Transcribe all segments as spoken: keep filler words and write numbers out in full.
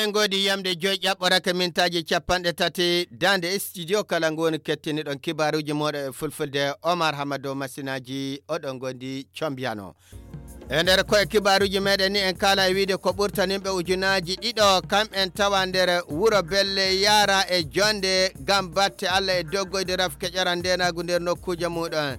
Ngoodi yamde joy ƴaɓɓorake mintaaji capanɗe tati daande e studio kala ngo woni kettiniɗon kibaaruuji mooɗo e fulfulde. Omar Hamado Masinaaji oɗon ngondi combiyano. E nder koye kibaaruuji meɗen ni en kaala e wiide ko ɓurtaninɓe ujunaaji ɗiɗo kamɓen tawa nder wuro Belle Yara e jonde ngam batte Allah e doggoyde rafke ƴoran ndenagu nder nokkuuje muɗon.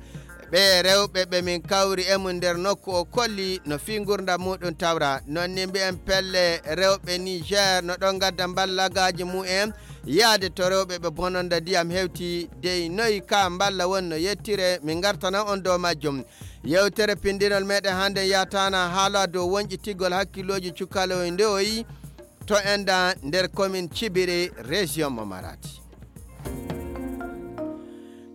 Ɓe rewɓe ɓe min kawri e mum nder nokku o kolli no fii ngurndam muɗum tawra. Non ni mbi'en pelle rewɓe Niger no ɗon ngadda mballagaaji mumen yaade to rewɓe ɓe bononda ndiyam hewti dey noyi ka mballa won no yettire min ngartana on dow majjum. Yewtere pinndinol meɗen hannden yataana haala dow wonƴitigol hakkillooji cukaloy ndewoyi to enda nder komin Cibiri région mo Maradi.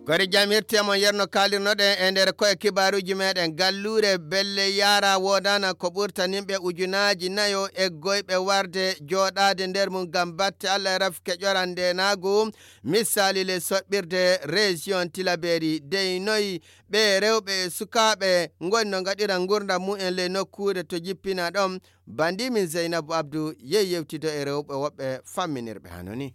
Gori jam hirti e mon yerno kaalirnoɗen e nder koye kibaaruuji meɗen. Galluure Belle Yara woodana ko ɓurtanimɓe ujunaaji nayo eggoyɓe warde jooɗaade nder mum ngam batte Allah e rafke ƴoran ndenaagu. Misali le soɓɓirde région Tilaberi dey noyi ɓe rewɓe e sukaaɓe ngoni no ngaɗira ngurndam mumen le nokkuure to jippina ɗon. Bandi min Zeynabu Abdu yehi yewtido e rewɓe woɓɓe famminirɓe hano ni.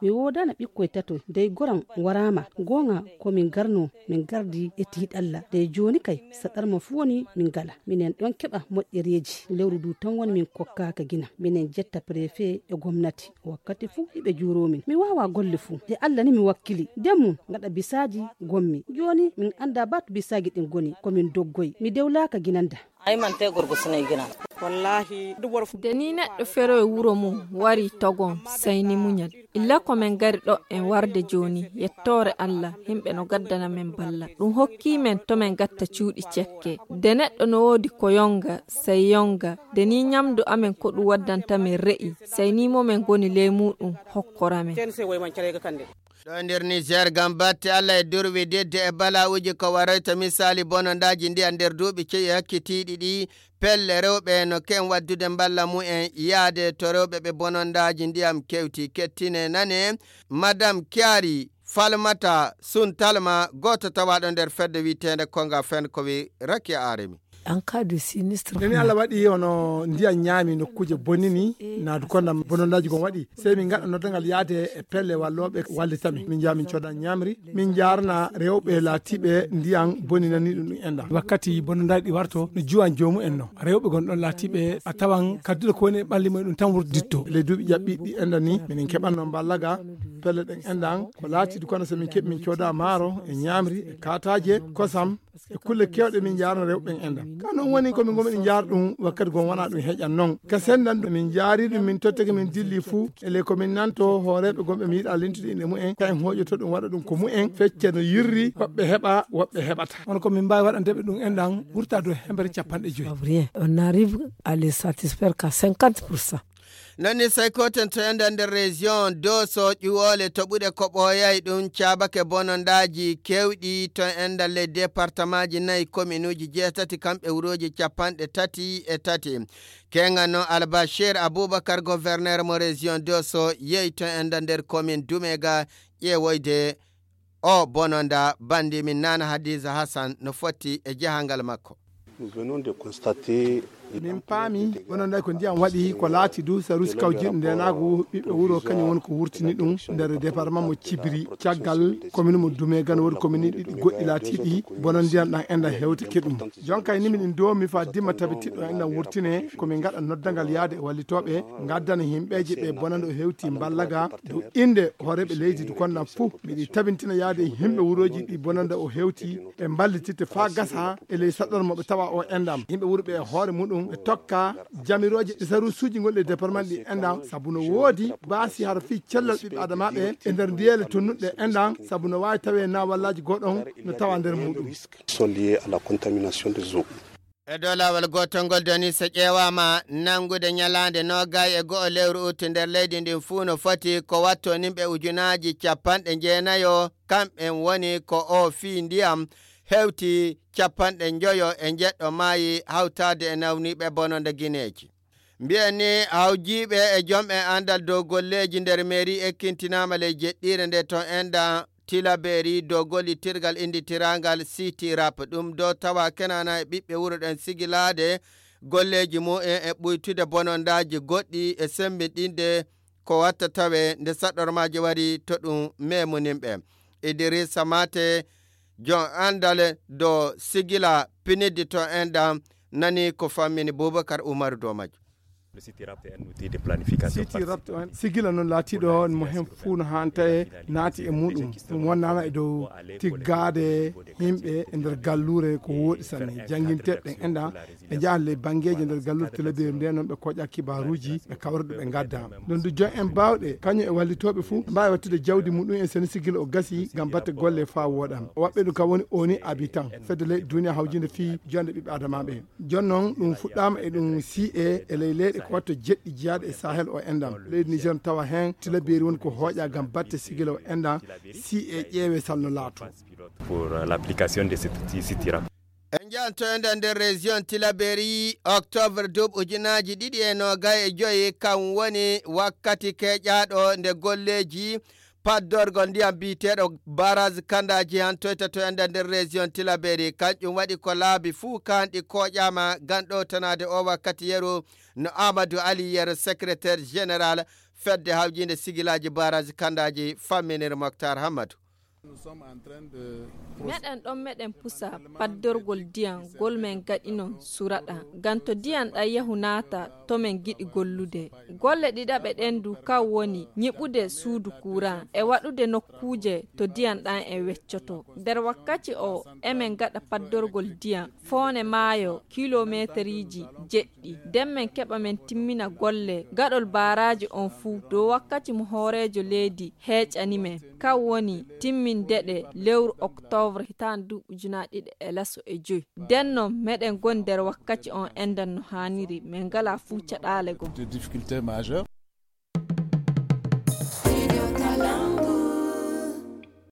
Mi woodana ɓikkoy tato dey goram waraama goonga ko min garno min gardi e tiiɗalla dey jooni kay saɗarma fuu woni min ngala minen ɗon keɓa moƴƴereeji lewru du tan woni min kokkaaka gina minen jetta préfet e gomnati wakkati fuu hiɓe juuroo min mi waawa golle fuu de Allah ni mi wakkili nden mum ngaɗa bisaaji gommi jooni min annda ba to bisaaji ɗin ngoni ko min doggoy mi dewlaaka ginanda. Ay man te gorgo sinay gina. Wallahi. Nde ni neɗɗo feroye wuro mum wari togon sayni muñal illa ko min ngari ɗo en warde jooni yettoore Allah yimɓe no gaddana min balla ɗum hokki min to min gatta cuuɗi cekke nde neɗɗo no woodi ko yonga sey yonga nde ni ñamdu amen ko ɗum waddanta min re'i sey ni mo min ngoni ley muɗum hokkora min. Ɗo nder Niger ngam batte Allah e durwi didde e bala'uji ko waroyta misali bonondaaji ndiyam nder duuɓi ceyi hakkitiiɗi ɗi pelle rewɓe no ken waddude mballa mumen yaade to rewɓe ɓe bonondaaji ndiyam kewti kettine nane. Madame Kiari Falmata Suntalma gooto tawaaɗo nder fedde wiyeteende Konga Fen ko wi Rakia Aremi. En cas de sinistre. Nde ni Allah waɗi hono ndiyam ñaami nokkuuje bonnini naadu kondam bonondaaji gon waɗi sey min ngaɗa noddangal yaade e pelle wallooɓe wallita min min njaha min cooda ñaamri min njaarna rewɓe laatiiɓe ndiyam boninani ɗum ɗum enɗam. Wakkati bonondaaji ɗi warto no juwan joomu en no rewɓe gon ɗon laatiiɓe a tawan kadduɗo ko woni e ɓalli mumen ɗum tan wurditto. Ley duuɓi ƴaɓɓiiɗi ɗi enɗam ni minen keɓanno mballaga pelle ɗen enɗam ko laatiiɗi kono so min keɓi min cooda maaro e ñaamri e kaataaje kosam e kulle kewɗe min njaarno rewɓe ɓen enɗam ka noon woni ko min ngomi ɗi njaar ɗum wakkati gon wona ɗum heƴan noon ka sendan ɗum min njaari ɗum min tottake min dilli fuu e ley ko min nanto hooreeɓe gonɓe mi yiɗa lintude inɗe mumen ka en hooƴoto ɗum waɗa ɗum ko mumen fecce no yirri woɓɓe heɓa woɓɓe heɓata hono ko min mbaawi waɗandeɓe ɗum enɗam wurta dow hemɓere capanɗe joyi. Rien on arrive à les satisfaire qu'à cinquante pour cent. Nani sey koten to enda nder région doso ƴuwole toɓuɗe ko ɓooyay ɗum caabake bonondaaji kewɗi to enda ley départemaaji nayi kominuuji jeetati kamɓe wurooji capanɗe tati e tati. Kenga no Albashir Abubakar gouverneur mo région doso yehi to enda nder commune Dumega ƴeewoyde o bononda bandi min nana Hadiza Hassan no fotti e jahangal makko. Min paami bononda ko ndiyam waɗi ko laati du sarusi kawjiiɗo ndenaagu ɓiɓɓe wuro kañum woni ko wurtini ɗum nder département mo Cibiri caggal commune mo Dume gana woodi commune ɗiɗi goɗɗi laatiiɗi bono ndiyam ɗam enɗam hewtike ɗum. Jonka e nimin ɗin domi fa dimma tabitiɗo enɗam wurtine komin ngaɗa noddangal yaade e wallitooɓe ngaddana himɓeeje ɓe bonande o hewti mballaga dow innde hooreeɓe leydi du konnam fuu miɗi tabintina yaade e yimɓe wurooji ɗi bonande o hewti ɓe mballititte faa gasa e ley saɗɗormo ɓe tawa o enɗam yimɓe wuro ɓe e hoore muɗum ɓe tokka jamirooje ɗi sarusuuji gonɗi e département ɗi enɗam sabu no woodi baasi hara fii cellal ɓiɓɓe adamaaɓe e nder ndiyeele tonnuɗe enɗam sabu no waawi tawee na wallaaji goɗon no tawa nder muɗum. Sont liés à la contamination des eaux. E dow laawol gootol ngol doni so ƴeewaama nanngude ñalaande noogay e go'o lewru utti nder leydi ndin fuu no foti ko watto nimɓe ujunaaji capanɗe jeenayo kamɓen woni ko o fii ndiyam hewti capanɗe njoyo e njeɗɗo maayi hawtaade e nawniiɓe bononda gineeji. Mbiyen ni hawjiiɓe e jomɓe anndal dow golleeji nder meeri ekkintinaama ley jeɗɗiire nde to enɗa Tilaberi dow gollittirgal innditiraangal City Rap ɗum dow tawa kenana e ɓiɓɓe wuro ɗen sigilaade Golleeji mumen e ɓuytude bonondaaji goɗɗi e semmbiɗinde ko watta tawe nde saɗɗormaaji wari to ɗum meemuninɓe. Idrissa Mate, jon anndal do sigila piniddi to enɗam, nani ko fammini Boubacar Oumarou Domadio. Siti Rapt on sigila noon laatiiɗo mo heen fuu no haanta e naati e muɗum. Ɗum wonnaama e dow tiggaade yimɓe e nder galluure ko wooɗi sanne. Jannginteeɓe ɓen enɗa ɓe njaha ley banngeeji nder galluure Tillabéri nde, noon ɓe koƴa kibaaruuji, ɓe kawra ɗum ɓe ngadda. Ɗum du jon en baawɗe, kañum e wallitooɓe fuu, mbaawi wattude jawdi muɗum en sene sigila o gasi ngam batte golle faa wooɗa. O waɓɓe ɗum kam woni ONU Habitat, fedde leyɗe duniya hawjinde fii jonde ɓiɓɓe adamaaɓe. Jooni noon ɗum fuɗɗaama e ɗum C A e ley leyɗe ko watta jeɗɗi jiyaaɗe e Sahel o enɗam. Leydi Niger tawa heen Tillabéri woni ko hooƴa ngam batte sigila o enɗam, C A ƴeewe salno laato. Pour, euh, l'application de cette outil Siti Rapt. En njahanto enɗam nder région Tillabéri, octobre duuɓi ujunaaji ɗiɗi e noogay e joyi, kam woni wakkati keƴaaɗo nde golleeji paddorgol ndiyam biyeteeɗo barrage Kandaaji hantoyta to enɗam nder région Tillabéri. Kanƴum waɗi ko laabi fuu kanɗi koƴaama ngam ɗowtanaade o wakkati yeru, no Amadou Ali Yero, secrétaire général fedde hawjinde sigilaaji barrage Kandaaji famminir Moctar Hammadou. Meɗen ɗon meɗen pusa paddorgol ndiyam ngol men gaɗinon suraɗa, ngam to ndiyam ɗam yahu naata to men giɗi gollude. Golle ɗiɗaɓe ɗen du kan woni nyiɓude suudu kuuran e waɗude nokkuuje to ndiyam ɗam e weccoto. Nder wakkati o emen gaɗa paddorgol ndiyam foone maayo kilomeeteriiji jeɗɗi. Nden men keɓa men timmina golle gaɗol baaraaji on fuu dow wakkati mo hooreejo leydi heeƴani men. Kan woni timminde ɗe lewru oktoobre hitaande duuɓi ujunaaji ɗiɗi e laso e joy. Nden non meɗen goni nder wakkati on enɗam no haaniri, men ngalaa fuu caɗaale goo. Des difficultés majeures.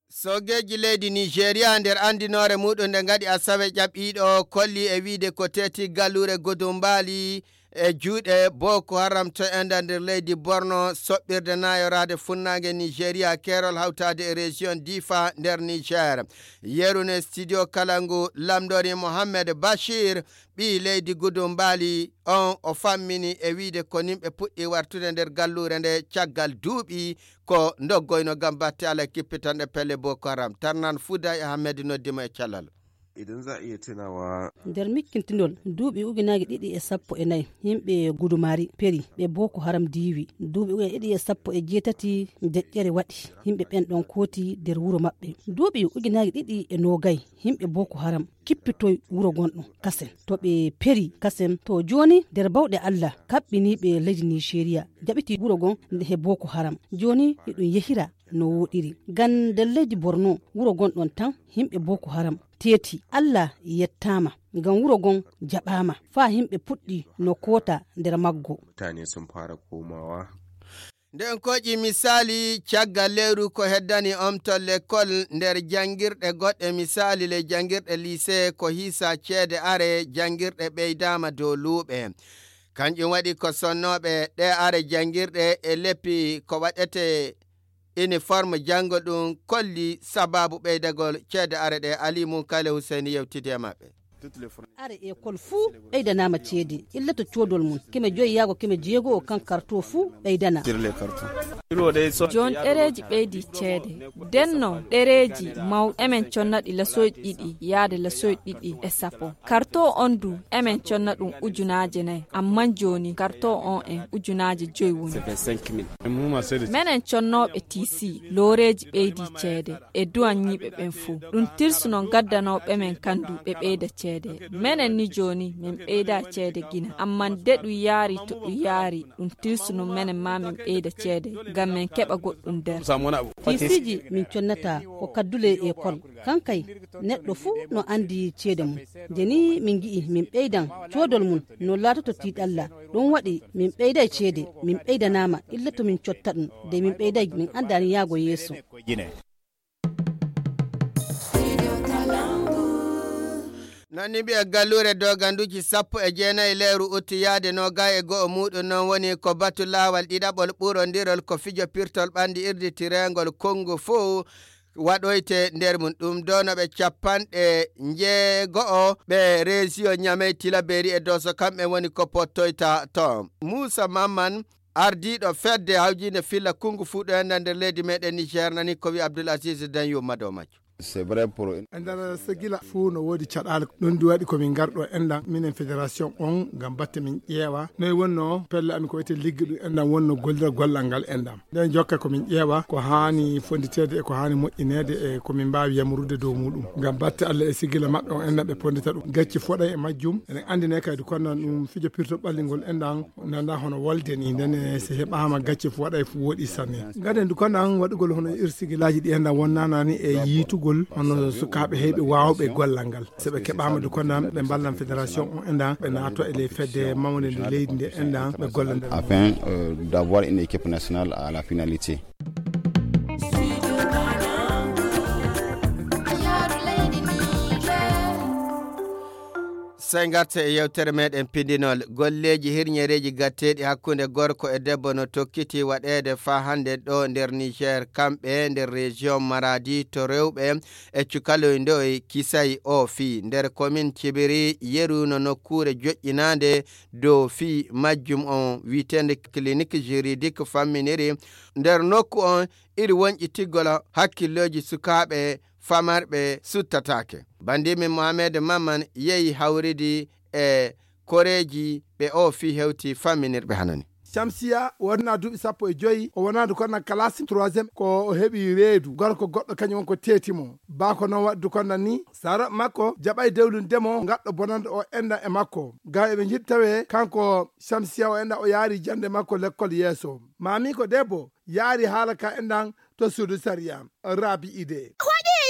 Soogeeji leydi Nigeria nder anndinoore muɗum nde ngaɗi asawe ƴaɓɓiiɗo kolli e wiide ko teeti galluure Gudumbaali e juuɗe Boko Haram to enɗam nder leydi Borno, soɓɓirde naayoraade funnaange Nigeria, keerol hawtaade e région Difa nder Niger. Yeru ne studio Kalangu lamndori Mohammed Bashir, ɓii leydi Gudumbaali on, o fammini e wiide ko nimɓe puɗɗi wartude nder galluure nde caggal duuɓi ko ndoggoyno ngam batte ala kippitanɗe pelle Boko Haram. Tarnan Fuda e Ahmed noddimo e calal. Idan za a iya tunawa. Nder mikkintinol, duuɓi ujunaaji ɗiɗi e sappo e nayi, yimɓe Gudumari Peri ɓe Boko Haram diiwi. Duuɓi ujunaaji ɗiɗi e sappo e jeetati deƴƴere waɗi, yimɓe ɓen ɗon kooti nder wuro maɓɓe. Duuɓi ujunaaji ɗiɗi e noogay, yimɓe Boko Haram kippitoy wuro gonɗo Kasen. To ɓe Peri Kasen, to jooni nder bawɗe Allah kaɓɓiniiɓe leydi Nigeria jaɓiti wuro gon nde he Boko Haram. Jooni hiɗum yehira no wooɗiri. Ngam nder leydi Borno, wuro gonɗon tan, yimɓe Boko Haram teeti. Allah yettaama, ngam wuro gon jaɓaama. Faa yimɓe puɗɗi no koota nder maggo. Mutane sun fara komawa. Nden koƴi misaali caggal lewru ko heddani omtol lekkol nder janngirɗe goɗɗe, misaali le janngirɗe lycée ko hiisa ceede are janngirɗe ɓeydaama dow luuɓe. Kanjum waɗi ko sonnooɓe ɗe are janngirɗe e leppi ko waɗete uniforme janngo ɗum kolli sabaabu ɓeydagol ceede are ɗe. Ali Munkale Hussein yewtidi e maɓɓe. Are ekol fuu ɓeydanaama ceede, illa to coodol mum, keme joyi yaago keme jeego o kan karto fuu ɓeydana. Jooni ɗereeji ɓeydi ceede. Denno ɗereeji mawɗi emen connaɗi lasoyɗi ɗiɗi yaade lasoyɗi ɗiɗi e sappo. Karto on du emen conna ɗum ujunaaje nayi, amman jooni karto on en ujunaaje joyi woni. Menen connooɓe T C looreeji ɓeydi ceede e duwanñiiɓe ɓen fuu. Ɗum tilsuno gaddanooɓe men kan du ɓe ɓeyda ceede. Menen ni jooni men ɓeyda ceede gina, amman de ɗum yaari to ɗum yaari, ɗum tilsuno menen ma men ɓeyda ceede ngam men keɓa goɗɗum nder. T C ji min connata ko kaddule e kol. Kankay neɗɗo fuu no anndi ceede mum. Nde ni min ngi'i min ɓeydan coodol mum no laatoto tiiɗalla. Ɗum waɗi min ɓeyday ceede, min ɓeydanaama illa to min cotta ɗum. Nde min ɓeyday min anndaani yaago yeeso. Noon ni mbiya galluure doganduuji sappo e jeenayi lewru utti yaade noogay e go'o muuɗum noon woni ko batu laawal ɗiɗaɓol ɓurondirol ko fijo pirtol ɓanndi irditireengol konngu fow. waɗoyte nder mum. Ɗum ɗo no ɓe capanɗe njeego'o ɓe région Niamey, Tilaberi e Dosso, kamɓe woni ko pottoyta toon. Moussa Mamman, ardiiɗo fedde hawjiinde filla Kung Fu ɗo e nder leydi meɗen Niger, nani ko wi Abdoul Aziz Danyou Mado Majjo. C'est vrai pour une E nder Sigila fuu no woodi caɗaale. Ɗum ɗi waɗi ko min ngarɗo enɗan, minen fédération on, ngam batte min ƴeewa noy wonno pelle amin ko wiyetee ligge ɗum enɗan wonno gollira gollal ngal enɗan. Nden jokka ko min ƴeewa ko haani fonnditeede e ko haani moƴƴineede e ko min mbaawi yamurude dow muɗum. Ngam batte Allah e Sigila maɓɓe on enɗan ɓe ponndita ɗum. Gacce foɗay e majjum. Eɗen anndinee kadi kono ɗum fijo pirto ɓallingol enɗan nanda hono wolde ni, nden e so heɓaama gacce fof waɗay fof woɗi sanne. Ngaden du kono an waɗugol hono ir Sigilaaji ɗi enɗan wonnanani e yiitugol hono sukaaɓe heɓe waawɓe gollal ngal. So ɓe keɓaama du kono an ɓe mballan fédération on enɗan ɓe naato e ley fedde mawnde nde leydi nde enɗan ɓe golla nder. Afin, euh, d'avoir une équipe nationale à la finalité. Sey ngarten e yewtere meɗen pindinol. Golleeji hirñereeji gatteeɗi hakkunde gorko e debbo no tokkiti waɗeede faa hannde ɗo nder Niger, kamɓe nder région Maradi to rewɓe e cukaloy ndoy kisay o fii. Nder commune Cibiri, yeru no nokkuure joƴƴinaande dow fii majjum on wi'eteende clinique juridique famminiri. Nder nokku on iri wonƴitigol hakkillooji sukaaɓe famarɓe suttataake. Bandimin Mohamed Mamman yehi hawridi e koreeji ɓe o fii hewti famminirɓe hanani. Shamsiya wonaa duuɓi sappo e joyi, o wonaade kono kalasi troisième, ko o heɓi reedu. Gorko goɗɗo kañum won ko teeti mo. Baako noon waɗdu kono ni, sara makko jaɓay dewlinde mo, ngaɗɗo bonande o enɗan e makko. Ga eɓe njiɗi tawe kanko Shamsiya o enɗan o yaari jannde makko lekkol yeeso. Maami ko debbo yaari haala ka enɗan to suudu sariya. Rabi ide.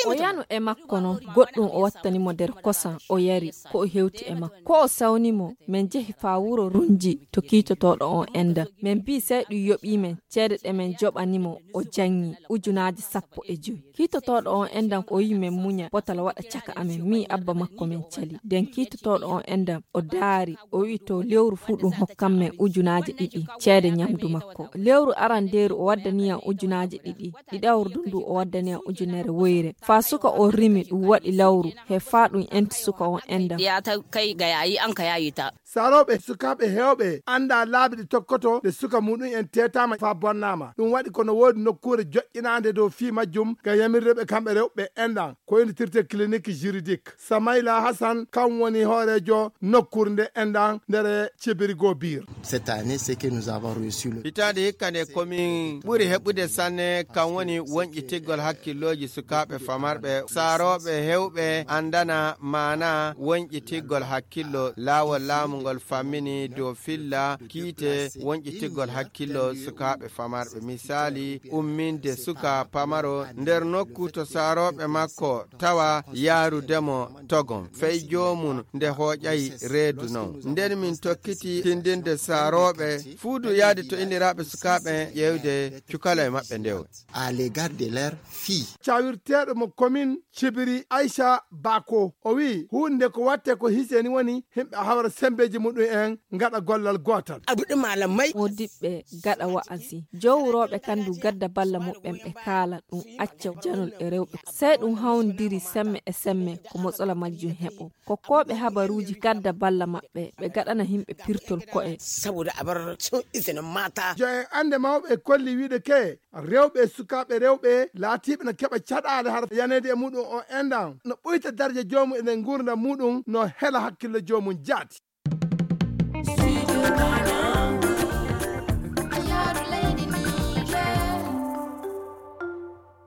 O yano e makko noon, goɗɗum o wattani mo nder kosan, o yari, ko o hewti e makko. Ko o sawni mo, min njehi faa wuro Runji to kiitotooɗo on enɗan. Min mbii sey ɗum yoɓii min ceede ɗe min njoɓani mo, o janngi ujunaaji sappo e joy. Kiitotooɗo on enɗan o wi'i min muña potal waɗa caka amin, min abba makko min cali. Nden kiitotooɗo on enɗan o daari, o wi'i to lewru fuu ɗum hokkan min ujunaaji ɗiɗi ceede ñamdu makko. Lewru arandeeru o waddani yam ujunaaji ɗiɗi, ɗiɗawru ndu o waddani yam ujunere woyre. Faa suka on rimi ɗum waɗi lawru, he faa ɗum enti suka on enɗan. Ya ta kai ga yayi an ka yayi ta. Sarooɓe sukaaɓe heewɓe anndaa laabi ɗi tokkoto nde suka muɗum en teetaama faa bonnaama. Ɗum waɗi ko no woodi nokkuure joƴƴinaande dow fii majjum ngam yamirde ɓe kamɓe rewɓe enɗan, ko inndirtee clinique juridique. Samayla Hassan, kam woni hooreejo nokkuure nde enɗan nder Cibiri Gobir. Cette année, c'est que nous avons reçu le Hitaande hikka nde ko min ɓuri heɓude sanne, kam woni wonƴitigol hakkillooji sukaaɓe famarɓe. Saarooɓe heewɓe anndana maana wonƴitigol hakkillo. Laawol laamu ngol fammini dow filla kiite wonƴitigol hakkillo sukaaɓe famarɓe. Misaali, umminde suka pamaro nder nokku to saarooɓe makko tawa yaarude mo togon. Fey joomum nde hooƴay reedu non. Nden min tokkiti tindinde saarooɓe fuu du yaade to inniraaɓe sukaaɓe ƴeewde cukaloy maɓɓe ndew. À l'égard de leur fille. Cawirteeɗo mo commune Cibiri Aisha Bako, o wi'i huunde ko watte ko hiseni woni himɓe hawra sembeeji muɗum en ngaɗa gollal gootal. Aduɗe malamai. Modiɓɓe gaɗa wa'azi. Jowrooɓe kan du gadda balla muɓɓen ɓe kaala ɗum acca janol e rewɓe. Sey ɗum hawndiri semme e semme ko motsola majjum heɓo. Kokkooɓe habaruuji gadda balla maɓɓe ɓe gaɗana himɓe pirtol ko'e. Saboda a bar cin izinin mata. Jo en annde mawɓe kolli wiide ke rewɓe e sukaaɓe rewɓe laatiiɓe no keɓa caɗaale har yaneede e muɗum o enɗan no ɓuyta darja joomum e nder nguurndam muɗum no hela hakkille joomum jaati.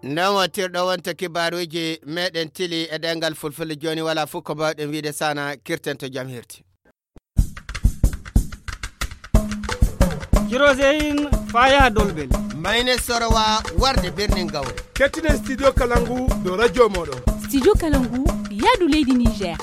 Nden wontirɗo wonta kibaaruuji meɗen tili e ɗemngal fulfulde. Jooni wala fof ko mbaawɗen wiide sana kirten to jam hirti. Kiroseyin faya dolbel. Mayne sorowa warde birnin gawre. Kettinen studio Kalangu do radio moɗo. Studio Kalangu, yaadu leydi Niger.